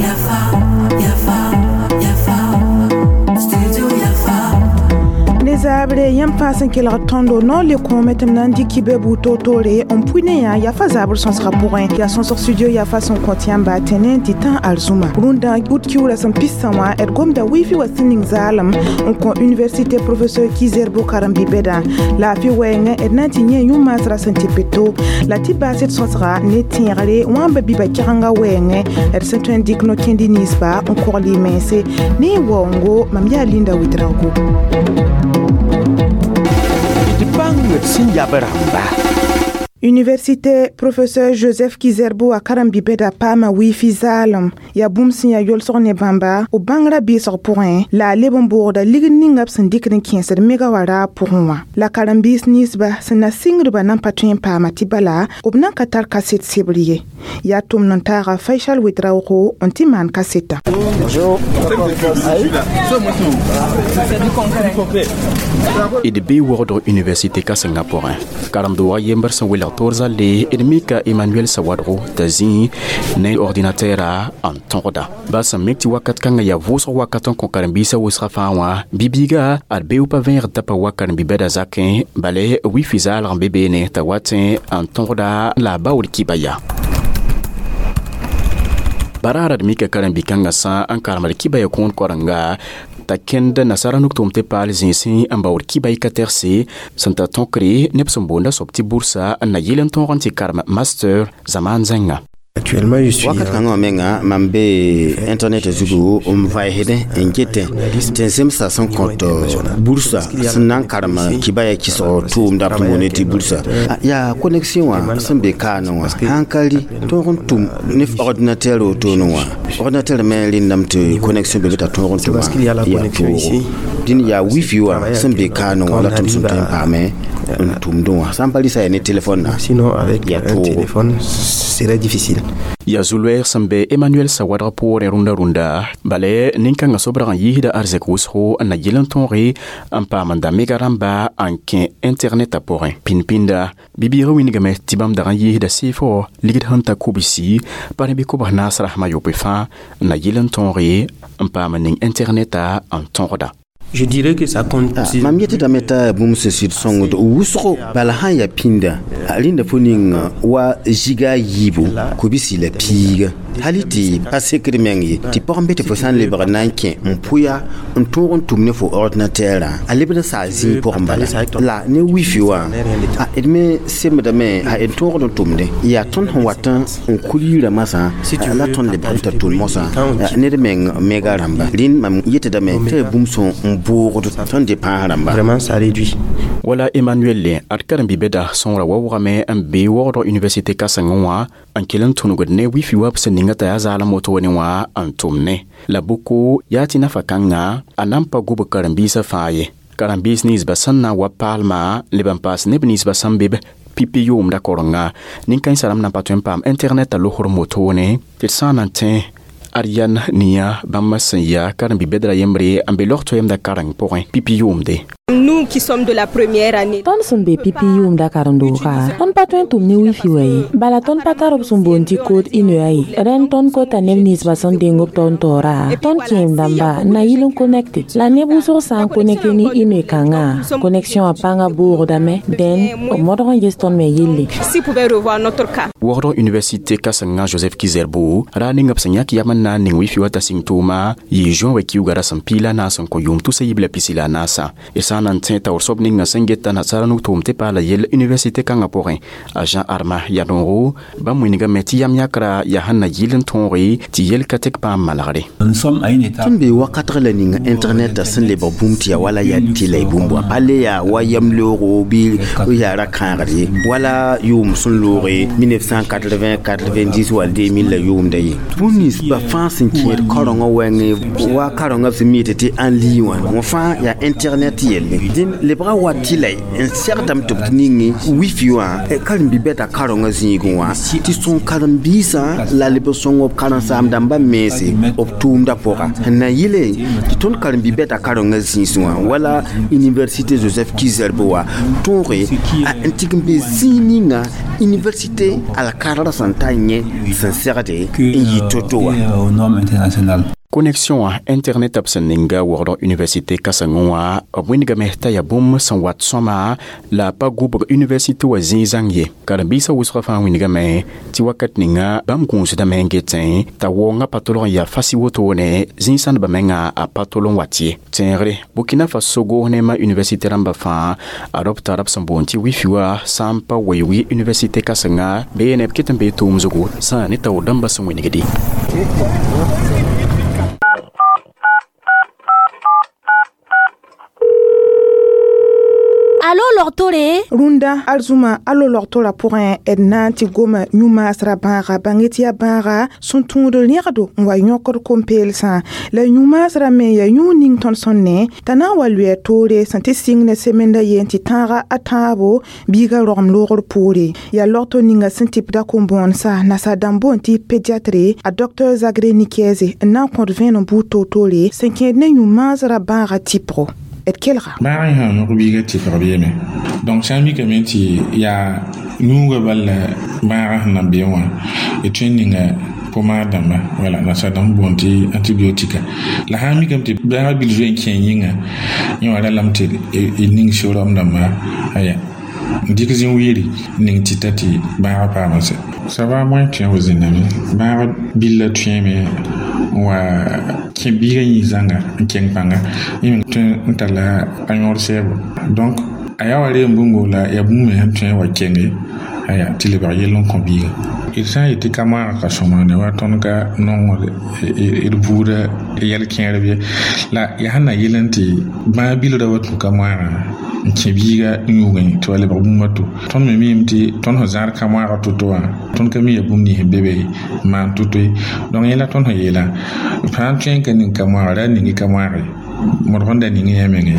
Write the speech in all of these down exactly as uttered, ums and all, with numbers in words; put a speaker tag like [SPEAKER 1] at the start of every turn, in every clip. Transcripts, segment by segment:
[SPEAKER 1] Yafa, Yafa, Yafa, Studio Yafa.
[SPEAKER 2] Ne zaabre yãmb fãa sẽn kelg tõndo no le kõome tɩ m na n dɩk kibe buud toor-toore n pʋɩ ne yã yafa zaabr sõsgã pʋgẽ yaa sõsg studio yafa sẽn kõt yãmba tɩ ne n tɩ tã arzũma rũndã ut kiuurã sẽn pistã wã d gomda wifi wa sẽn ning zaalem n kõ université professeur Ki-Zerbo karen-bi-bɛdã laafɩ wɛɛngẽ d na n tɩ yẽ yũ-maasrã sẽn tɩ peto la tɩ baas d sõsga ne tẽegre wãmba biba kɛgenga wɛɛngẽ d sẽn tõe n dɩk no-kẽndi ninsba n kogl y mense ne y waoongo mam yaa Linda Ouedraogo.
[SPEAKER 3] D bãng d sẽn yab rãmba.
[SPEAKER 2] Université professeur Joseph Ki-Zerbo a karen-bi-bɛda paama wifi zaalem yaa bũmb sẽn yaa yolsg ne bãmba b bãngrã bɩɩsg pʋgẽ la a leb n boogda ligd ninga b sẽn dɩkd n kẽesd mega wã raab pʋgẽ wã la karen-biis ninsba sẽn na sɩngdbã nan pa tõe n paama tɩ bala b nan ka tar kaset sebr ye yaa tʋmd n taaga Faisal Ouedraogo n tɩ maan kasetã.
[SPEAKER 4] Bonjour.
[SPEAKER 5] D bee wogdg université kãsengã pʋgẽ karemd-wag yembr sẽn welg toor zalle d mika Emmanuel Sawadgo t'a zĩ ne ordinatɛɛra n tõgda baa sẽn mik tɩ wakat kãngã yaa vʋʋsg wakat n kõ karen-biisã wʋsgã fãa wã bi-biiga ad bee pa vẽegd t'a pa wa karen-bi-bɛda zakẽ bale wifi zaalg n be beene t'a wat n tõgda la a baood kiba yaa baraara d mika karen-bi-kãngã sã n karemd kiba ya kõon korenga t'a kẽnd nasara nugtʋʋm tɩ paal zĩisẽ n baood kiba y ka tɛgse sẽn ta tõkre neb sẽn boonda soab tɩ bursa n na yɩl n tõog n tɩ karem master zamaan zẽnga.
[SPEAKER 6] Actuellement, je suis
[SPEAKER 7] wakat kãngã wã menga mam be internet zugu n vaesdẽ n getẽ tɩ n zemsa sẽn kõt bursa sẽn na n karem kibaya kɩsg tʋʋmda b boonde tɩ bursa yaa connexion wã sẽn be kaane wã sãn ka rɩ tõog n tʋm ne ordinateur wotone wã ordinateur me rẽndame tɩ connexion be be t'a tõog n tʋma yaa toogo dĩn yaa wifi wã sẽn be kaane wã la tɩ m sẽn tõe n paame n tʋmdẽ wã sã n pa rɩsa yaa ne telefon na
[SPEAKER 6] Sinon, avec
[SPEAKER 7] yaa
[SPEAKER 6] un
[SPEAKER 7] toogo.
[SPEAKER 6] téléphone, serait difficile.
[SPEAKER 5] Yaa zu-loɛɛg sẽn be Emmanuel Sawadg poorẽ rũndã rũndã bala nin-kãngã sobrag n yiisda arzɛk wʋsgo n na yɩl n tõoge n paam n da mega rãmba n kẽ internetã pʋgẽ pĩnd-pĩnda bi-biigã wingame tɩ bãmb dag n yiisda sɩɩfo ligd sẽn ta kobsi pa rẽ bɩ kobs naas rasmã yopoe fãa n na yɩl n tõoge n paam n ning internetã n tõgda.
[SPEAKER 6] Je dirais que ça compte.
[SPEAKER 7] Ah, mam yetɩdame t'a bũmb sẽn sɩd sõngd wʋsgo bala sã n yaa pĩnda a rẽnda fo ning wa ziga a yiibu kobisi la piiga hali tɩ pa sekd meng ye tɩ pag n be tɩ fo sã n lebg na n kẽ n pʋya n tõog n tʋm ne fo ordinatɛɛrã a lebd n saa zĩig pʋgẽ bala la ne wifi wã a d me semdame a d tõogd n tʋmdẽ yaa tõnd sẽn wat n kul yirã masã la tõnd lebg n t'a tʋl mosã ned meng mega rãmba rẽnd mam yetɩdame tɩ yaa bũmb sẽn n boogd tõnd dɩ pãas rãmba.
[SPEAKER 6] Vraiment, ça réduit.
[SPEAKER 5] Wala Emmanuel le ad karen-bi-bɛda sõora wa wʋgame n be wogdg université kãsengẽ wã n kell n tũnugd ne wifi wa b sẽn ninga t'a yaa zaalem wotone wã n tʋm ne la bʋko yaa tɩ nafa kãnga a na n pa gub karen-biisã fãa ye karen-biis ninsbã sẽn na n wa paalmã leb n paas neb ninsbã sẽn be b pipi yʋʋmda korenga nin-kãensã rãmb na n pa tõe n paam internet a losr motone tɩ d sã n na n tẽ ad yan nia bãmb sẽn yaa karen-bi-bɛdrã yembre n be log toɛɛmda kareng pʋgẽ pipi yʋʋmde.
[SPEAKER 8] Nous qui sommes de la première année.
[SPEAKER 9] Tõnd sẽn be pipi yʋʋmda karen-doogã tõnd pa tõe n tʋm ne wifi wa ye bala tõnd pa tar b sẽn boond tɩ code I N E A ye rẽnd tõnd kota neb ninsbã sẽn deng b tõnd taoora tõnd kẽem dãmba n na yɩl n connecte la neb wʋsg sã n connecte ne I N E kãngã connexion wã pãngã boogdame dẽn b modg n ges tõnd me yelle.
[SPEAKER 8] Si pouvait revoir notre cas.
[SPEAKER 5] Wogdg université kãsengã Joseph Ki-Zerbo ra ninga b sẽn yãk yam n na n ning wifi wa t'a sɩng tʋʋma yɩ juin wa kiuga ra sẽn piila naas n kõ yʋʋm tusa yib la pisi la a naasã y sã n na n tẽ taoor soab ninga sẽn geta nasaara nug-tʋʋm tɩ paala yell université kãngã pʋgẽ a Jean Arma yaa noogo bãmb wingame tɩ yam yãkra yaa sẽn na yɩl n tõoge tɩ yel ka tɩk paam malgre.
[SPEAKER 10] Nous sommes à une étape
[SPEAKER 7] Tõnd be wakatg la ninga internet sẽn lebg bũmb tɩ yaa wala yaa tɩ la y bũmb wã pa le yaa wa yam-leoogo bɩ yaa ra kãagd ye wala yʋʋm sẽn looge mille neuf cent quatre-vingts quatre-vingt-dix wall deux mille la yʋʋmda ye bũmb nins ba fãa sẽn kẽed kaorengã wɛngẽ wa kaorengã b sẽn mi tɩ tɩ en ligne wã wã fãa yaa internet yelle. yelle dẽn lebga wa tɩ la n segdame tɩ b ning wifi wã karen-bi-bɛda karengã zĩigẽ wã tɩ sõng karen-biisã la leb n sõng b karen-saam-dãmbã mense b tʋʋmdã pʋga n na yɩle tɩ tõnd karen-bi-bɛda karengã zĩisẽ wã wala université Joseph Ki-Zerbo wã tõoge n tɩg n be zĩig ninga université alkarrã sẽn ta yẽ sẽn segde n yɩ to-to wã.
[SPEAKER 4] Aux normes internationales.
[SPEAKER 5] Connexion a internet b sẽn ninga waoogdg université kãsengẽ wã b wĩndgame t'a yaa bũmb sẽn wat sõma la a pa gubg université wã zĩig zãng ye. Karen-biisã wʋsgã fãa wĩndgame tɩ wakat ninga bãmb gũusdame n getẽ t'a waoongã pa tolg n yaa fasi wotone zĩig sãndbã menga a pa tol n wat ye. Tẽegre Burkina Faso gomdnema université rãmbã fãa a b tara b sẽn boond tɩ wifi wã sã n pa weoog université kãsenga bee neb ket n bee tʋʋm zugu sã ne taoor dãmbã sẽn wĩnigdi.
[SPEAKER 10] Alo logtore.
[SPEAKER 2] Rũndã arzũma alo logtora pʋgẽ d na n tɩ goma yũ-maasrã bãaga bãng tɩ yaa bãaga sẽn tũud rẽgdo n wa yõkd kom-peelsã la yũ-maasrã me yaa yũud ning tõnd sẽn ne t'a na n wa lʋɩ a toore sẽn tɩ sɩng ne semenda yen tɩ tãaga a tãabo biigã rogem loogr poore. Yaa logto ninga sẽn tɩpda kom-bõonsa nasaar dãmb boond tɩ pédiatre a docteur Zagré Nikieze n na n kõt vẽenem buud toor-toore sẽn kẽed ne yũ-maasrã bãaga tɩpgo. D kelga.
[SPEAKER 11] Bãag sã yõk biigã tɩpg beeme donc sã n mikame tɩ yaa yũugã bal la bãagã sẽn na be wã d tõe n ninga pomaad dãmba wala nasaar dãmb boond tɩ antibiotika la sã n mikame tɩ bãagã bil zoe n kẽ yĩnga yẽ wã ralame tɩ d ning serom dãmba aya n dɩk zĩ wiiri ning tɩta tɩ bãagã paama sɛ. Ça va moins tõe wa zĩnname bãag billa tõeme n wa kẽ biigã yĩig zãnga n keng pãnga yẽ me tõe n tara a yõod sɛɛbo donc a yaa wa reem bũmbo la yaa bũmb me sẽn tõe n wa kenge aya tɩ lebg yell n kõ biigã. D sã n yet tɩ ka moaagã ka sõmane wa tõnd ka nongd d buudã yɛl kẽerb ye la yaa sẽn na yel n tɩ bãag bilra wa tũ ka moaagã n kẽ biigã yũugẽ tɩ wa lebg bũmb a to. Tõnd me miime tɩ tõnd sẽn zãad ka moaagã to-to wã tõnd ka mi yaa bũmb nins be be n maan to-to ye donc yẽ la tõnd sẽn yeelã fãa tõe n ka ning ka moaagã ra ning ka moaage modg n da ning yã menge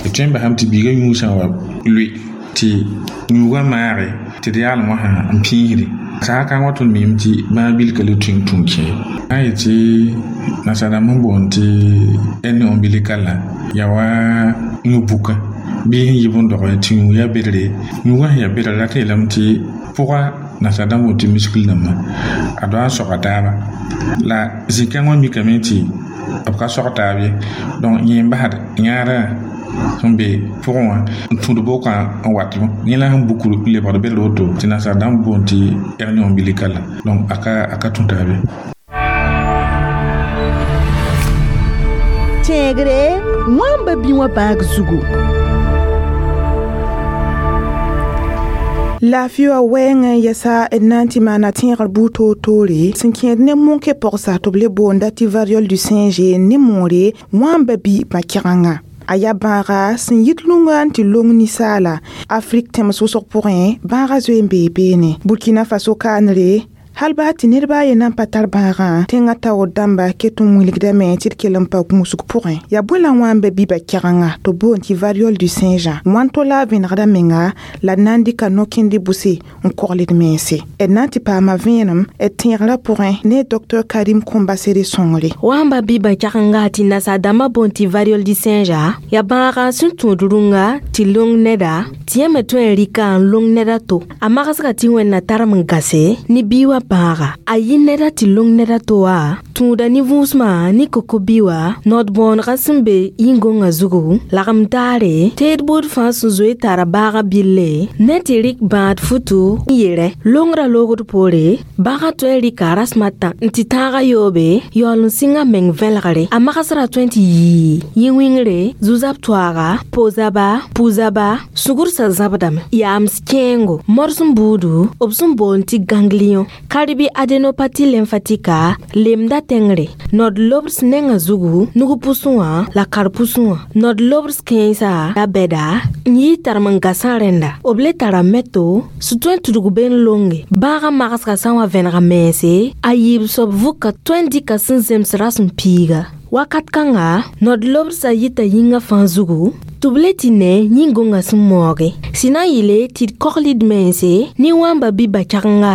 [SPEAKER 11] d tõe n basame tɩ biigã yũug sã n wa lʋɩ tɩ yũugã maage tɩ d yaalem wã sã n pĩisde saha kãng wa tõnd miime tɩ bãag bil ka le tõe n tũ kẽ sã n yet tɩ nasaar dãmb sẽn boond tɩ hernie ombilicale yaa wa yũ-bukã bɩ sẽn yib n dɔgẽ tɩ yũug yaa bedre yũugã sẽn yaa bedre rat yeelame tɩ pʋga nasaar dãmb boond tɩ muscle dãmba a doa n soga taaba la zĩ-kãng wã mikame tɩ b ka sog taab ye donc yẽ n basd yãadã sẽn be pʋgẽ wã n tũud bokã n wat yẽ la sẽn buk lebgd bedr woto tɩ nasaar dãmb boond tɩ hernie ombilicale donc a ka a ka tũ taab ye.
[SPEAKER 10] Tẽegre wãmba bĩ wã bãag zugu.
[SPEAKER 2] Laafɩ wã wɛɛngã yɛsa d na n tɩ maana tẽegr buud toor-toore sẽn kẽed ne monkẽ pɔgsa tɩ b le boonda tɩ variole du singe ne moore wãmba bɩ bã-kɛgengã. A yaa bãaga sẽn yit lunga n tɩ long ninsaala Afrik tẽms wʋsg pʋgẽ bãaga zoe n bee beene. Burkina Faso kaanre hal baa tɩ ned baa a yen na n pa tar bãagã tẽngã taoor dãmba ket n wilgdame tɩ d kell n pa gũusg pʋgẽ. Yaa bõe la wãmba bɩ kɛgengã tɩ b boond tɩ variole du singe wãn-to la a vẽnegda menga la d na n dɩka no-kẽnd bʋse n kogl d mense. D na n tɩ paama vẽenem d tẽegrã pʋgẽ ne docteur Karim Kombasere sõngre.
[SPEAKER 9] Wãmba bɩ bã-kɛgenga tɩ nasaar dãmbã boond tɩ variole du singe yaa bãaga sẽn tũud rũnga tɩ long neda tɩ yẽ me tõe n rɩka n long ned a to. A magsga tɩ Wẽnna tarem n gase ne bii wã bãaga a yɩ neda tɩ long neda to wã tũuda ne vũusmã ne koko-bi wã nod-bõonegã sẽn be yĩn-gõngã zugu lagem taare teed buud fãa sẽn zoe tara baaga bille ne tɩ rɩk bãad futu n yere longrã loogd poore bãagã tõe n rɩka rasem a tã n tɩ tãagã yoobe yaool n sɩng a meng vẽlgre a magsrã tõe n tɩ yii yĩ-wĩngre zu-zab toaaga po-zaba pu-zaba sugrsã zãbdame yaams kẽengo morsem buudu b sẽn boond tɩ ganglion karbi adénopathie lymphatique lemda tẽngre nod-lobs nengã zugu nug pʋsẽ wã la kar-pʋsẽ wã nod-lobs kẽensã la bɛda n yɩ tarem n gasã rẽnda b le tara meto sẽn tõe n tudg be n longe bãagã magsga sã n wa vẽnega mense a yiib soab vʋka tõe n dɩka sẽn zems rasem piiga wakat kãnga nod-lobsã yita yĩngã fãa zugu
[SPEAKER 4] Tɩ b le tɩ ne yĩn-gõngã sẽn maooge sẽn na n yɩle tɩ d kogl d mense ne wãmba bɩ ba-cãgenga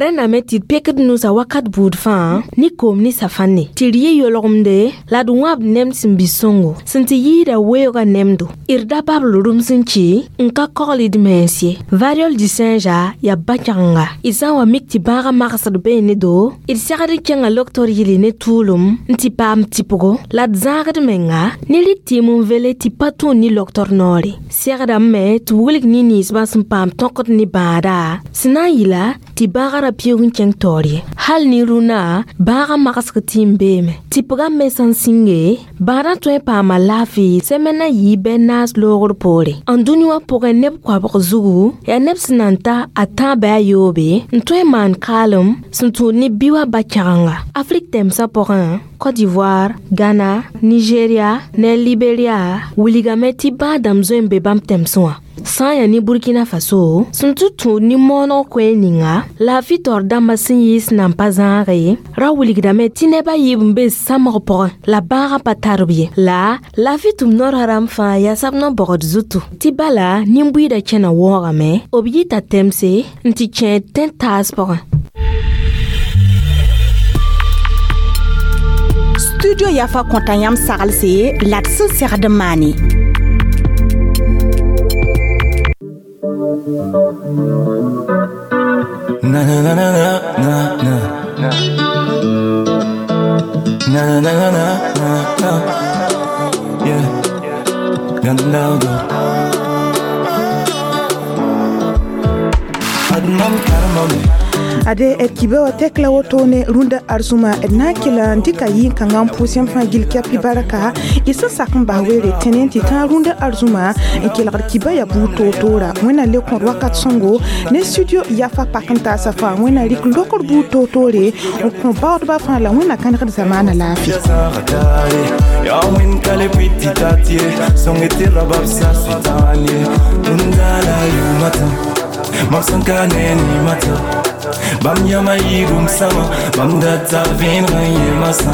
[SPEAKER 4] rẽndame tɩ d pekd nusã wakat buud fãa ne koom ne safãnne tɩ d yɩ yolgemde la d wãbd nemd sẽn bɩ sõngo sẽn tɩ yɩɩda weoogã nemdo d da babl rũms n kɩ n ka kogl d mens ye variole du singe yaa ba-cãgenga d sã n wa mik tɩ bãagã magsd bee ne do d segd n kẽnga loktor yɩle ne tʋʋlem n tɩ paam tɩpgo la d zãagd menga ne rɩk tɩɩm n vele tɩ pa tũud ne loktor noore segdame me tɩ wilg ne ninsbã sẽn paam tõkd ne bãada sẽn na n yɩla tɩ bãagã ra pɩʋg n kẽng taoor ye hal ne rũnã bãagã magsg tɩ n beeme tɩpgã me sã n sĩnge bãadã tõe n paama laafɩ sɛmɛn na yɩ bɛ naas loogr poore n dũni wã pʋgẽ neb koabg zugu yaa neb sẽn na n ta a tãab bɩ a yoobe n tõe n maan kaalem sẽn tũud ne bi wã ba-kɛgenga afrik tɛmsã pʋgẽ Côte d'Ivoire, Ghana, Nigeria, ne Liberia wilgame tɩ bãadãmb zoe n be bãmb tɛmsẽ wã sã n yaa ne Burkina Faso sẽn tɩ tũud ne mooneg koɛɛg ninga laafɩ taoor dãmbã sẽn yɩɩs nan pa zãage ra wilgdame tɩ neb a yiib n be samg pʋgẽ la bãagã pa tar b ye la laafɩ tʋm noorã rãmb fãa yaa sab no-bogd zutu tɩ bala nin-buiidã kẽna wɔɔgame b yita tɛmse n tɩ kẽ tẽn-taas pʋgẽ.
[SPEAKER 12] Studio Yafa kõta yãmb saglse la d sẽn segd n maane.
[SPEAKER 13] Na na na na na na na na na na na na yeah Gandaldo Adnam karmam
[SPEAKER 2] ade d kiba wa tek la woto ne rũndã arzũma d na n kell n dɩka yĩn-kãngã n pʋʋs yãmb fãa gill kɛp barka y sẽn sak n bas weere tẽne tɩ tãag rũndã arzũma n kelgd kiba yaa buud toor-toora wẽnna le kõd wakat sõngo ne studio yafa pak n taasa fãa wẽnna rɩk lokr buud toor-toore n kõ baoodbã fãa la wẽnna kãnegd zamaana laafɩ.
[SPEAKER 13] Bam yama yirum sama, bam data vin yemasa.